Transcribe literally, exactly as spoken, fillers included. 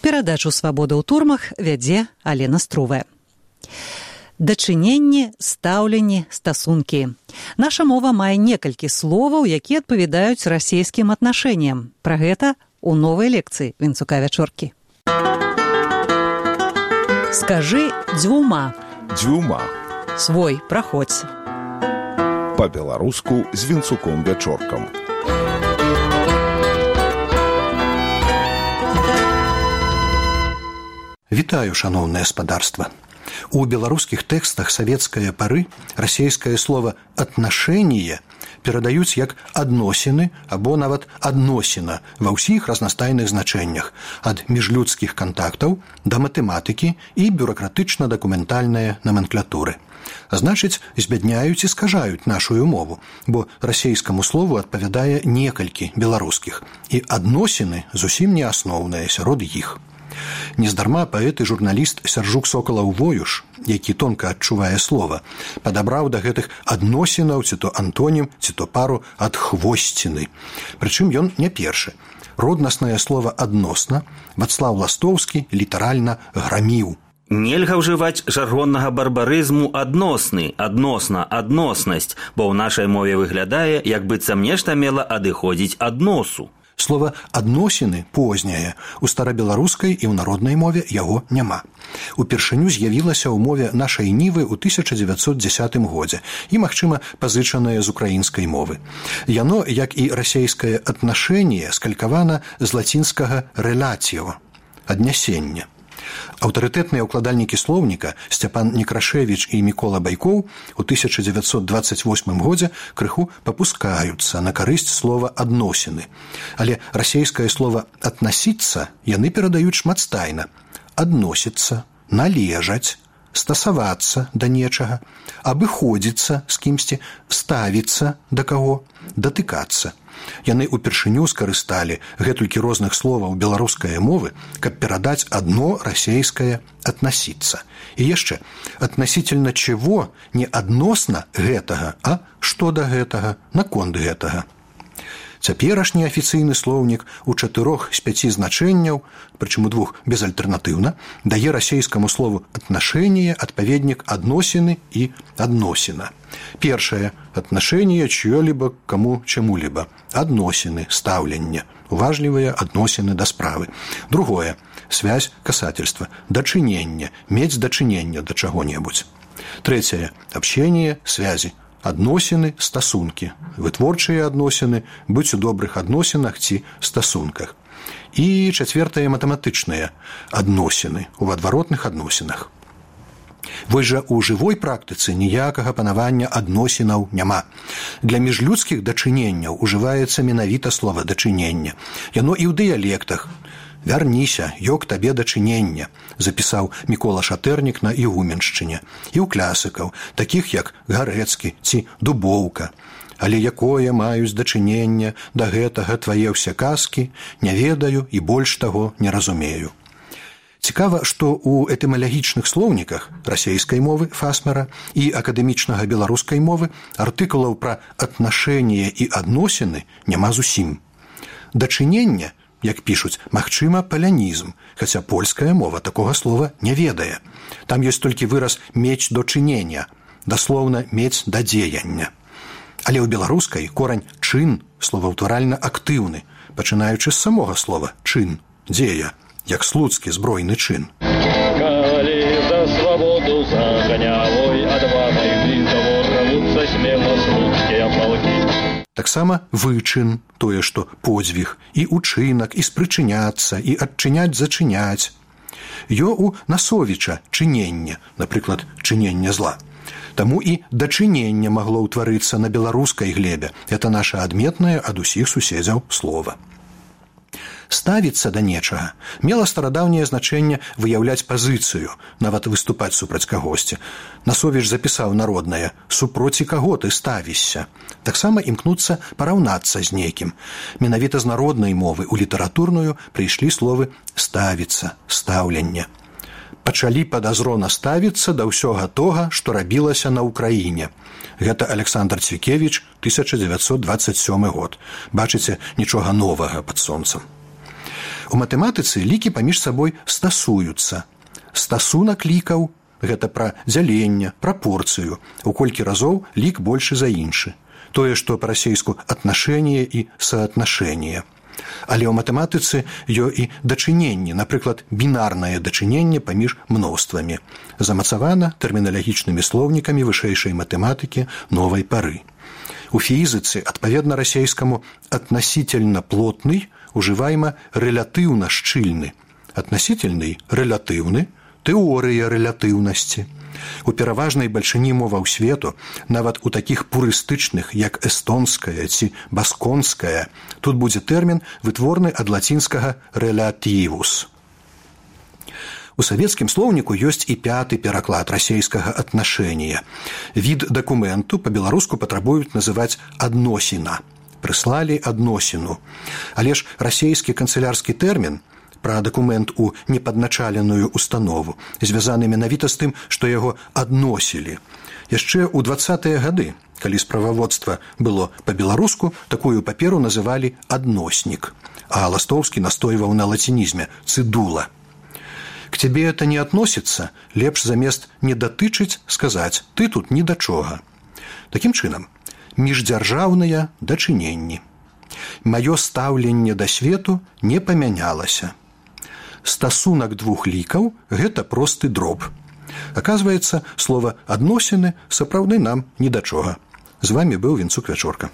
Перадачу «Свабода ў турмах» вядзе Алена Струвая. Дачыненне, стаўленне, стасункі. Наша мова мае некалькі словаў, якія адпавядаюць расейскім аднашэнням. Пра гэта у новай лекцыі Вінцука Вячоркі. Скажы дзвюма. Дзвюма. Свой, праходзь. Па-беларуску з Вінцуком Вячоркам. Вітаю, шаноўнае спадарства. У беларускіх тэкстах савецкае пары расейскае слова «аднашэнне» перадаюць як «адносіны» або нават «адносіна» ва ўсіх разнастайных значэннях, ад міжлюдскіх кантактаў да матэматыкі і бюракратычна-дакументальнай наменклатуры. А значыць, збядняюць і скажаюць нашую мову, бо расейскаму слову адпавядае некалькі беларускіх, і «адносіны» зусім не асноўныя сярод іх. Нездарма паэт і журналіст Сяржук Сокалаў-Воюш, які тонка адчувае слова, падабраў да гэтых адносінаў ці то антонім, ці то пару ад хвосціны. Прычым ён не першы. Роднаснае слова «адносна» Вацлаў Ластоўскі літаральна граміў. Нельга ўжываць жаргоннага барбарызму «адносны», «адносна», «адноснасць», бо ў нашай мове выглядае, як быццам нешта мела адыходзіць ад носу. Слова «адносіны» позняе, у старабеларускай і ў народнай мове яго няма. Упершыню з'явілася ў мове нашай нівы ў тысяча дзевяцьсот дзесятым годзе і, магчыма, пазычанае з украінскай мовы. Яно, як і расейскае «аднашэнне», скалькавана з лацінскага «рэлаціо» – «аднясення». Аўтарытэтныя ўкладальнікі слоўніка Сцяпан Некрашевіч і Мікола Байкоў у тысяча дзевяцьсот дваццаць восьмым годзе крыху папускаюцца на карысць слова «адносіны». Але расейскае слова «аднасіцца» яны перадаюць шматстайна. Адносіцца, належаць, стасавацца да нечага, абыходзіцца з кімсьці, ставіцца да каго, датыкацца. Яны упершыню скарысталі гэтулькі розных словаў беларускай мовы, каб перадаць адно расейскае «аднасіцца». І яшчэ, аднасітельна чего не адносна гэтага, а што да гэтага, наконт гэтага. Цяперашні афіцыйны слоўнік у чатырох з пяці значэнняў, прычым у двух безальтэрнатыўна, дае расейскаму слову «аднашэнне» адпаведнік «адносіны» і «адносіна». Першае – «аднашэнне чьё-либо к кому чему-либо». «Адносіны», «стаўленне», уважлівыя адносіны да справы. Другое – связь, касательства, дачыненне, мець дачыненне да чаго-небудзь. Трэцяе – общение, связі. Адносіны, стасункі, вытворчыя адносіны, быць у добрых адносінах ці стасунках. І чацвертае матэматычныя адносіны у адваротных адносінах. Вось жа у жывой практыцы ніякага панавання адносінаў няма. Для міжлюдскіх дачыненняў ужываецца менавіта слова «дачыненне». Яно і ў дыялектах. «Вярніся, ёк табе дачынення», запісаў Мікола Шатэрнік на Ігуменшчыне, і ў класікаў, такіх як Гарэцкі ці Дубоўка. «Але якое маюць дачынення да гэтага твае ўсе казкі, не ведаю і больш таго не разумею». Цікава, што ў этымалагічных слоўніках расейскай мовы Фасмера і акадэмічнага беларускай мовы артыкулаў пра аднашэнне і адносіны няма зусім. Дачынення, як пішуць, магчыма, палянізм, хаця польская мова такога слова не ведае. Там ёсць толькі выраз «мець до чынення», даслоўна «мець да дзеяння». Але ў беларускай корань «чын» словаўтваральна актыўны, пачынаючы з самога слова «чын», «дзея», як слуцкі збройны чын. Калі за свабоду за ганявой адвагай вінтаво рвуцца смела слуцкія палкі. Таксама вычын, тое, што подзвіг, і учынак, і спрычыняцца, і адчыняць зачыняць. Ё у Насовіча чынення, напрыклад, чынення зла. Таму і дачынення магло ўтварыцца на беларускай глебе. Это наша адметнае ад усіх суседзяў слова. Ставіцца да нечага мела старадаўняе значэнне выяўляць пазіцыю, нават выступаць супраць кагосьці. Насовіч запісаў народнае «супроці каго ты ставішся». Таксама імкнуцца параўнацца з нейкім. Менавіта з народнай мовы ў літаратурную прыйшлі словы «ставіцца», «стаўленне». Пачалі падазрона ставіцца да ўсё гатога, што рабілася на ўкраіне. Гэта Александр Цвікевіч, тысяча дзевяцьсот дваццаць сёмы год. Бачыце, нічога новага пад сонцам. У матэматыцы лікі паміж сабой стасуюцца. Стасунак лікаў – гэта пра дзяленне, прапорцыю. У колькі разоў лік большы за іншы. Тое, што па-расейску «атнашэнне» і «саатнашэнне». Але ў матэматыцы ёсць і дачыненне, напрыклад, бінарнае дачыненне паміж мноствамі, замацавана тэрміналагічнымі слоўнікамі вышэйшай матэматыкі новай пары. У фізіцы, адпаведна расейскаму «относительно плотный» ужываема «рэлятыўна шчыльны». «Относительный» – «рэлятыўны», «тэорыя рэлятыўнасці». У пераважнай бальшыні моваў свету, нават у такіх пурыстычных, як эстонская ці басконская, тут будзе тэрмін, вытворны ад лацінскага «рэлятывус». У савецкім слоўніку ёсць і пяты пераклад расейскага «атнашэння». Від дакументу па-беларуску патрабуюць называць «адносіна». Прыслалі адносіну. Але ж расейскі канцылярскі тэрмін пра дакумент у непадначаленую установу звязаны менавіта з тым, што яго адносілі. Яшчэ ў дваццатыя гады, калі справаводства было па-беларуску, такую паперу называлі «адноснік», а Ластоўскі настойваў на лацінізме «цыдула». К тебе это не относится, лепш замест «не датычыць» сказаць «ты тут ні да чога». Такім чынам, міждзяржаўныя дачыненні. Маё стаўленне да свету не памянялася. Стасунак двух лікаў – гэта просты дроб. Аказваецца, слова «адносіны» сапраўды нам ні да чога. З вами быў Вінцук Вячорка.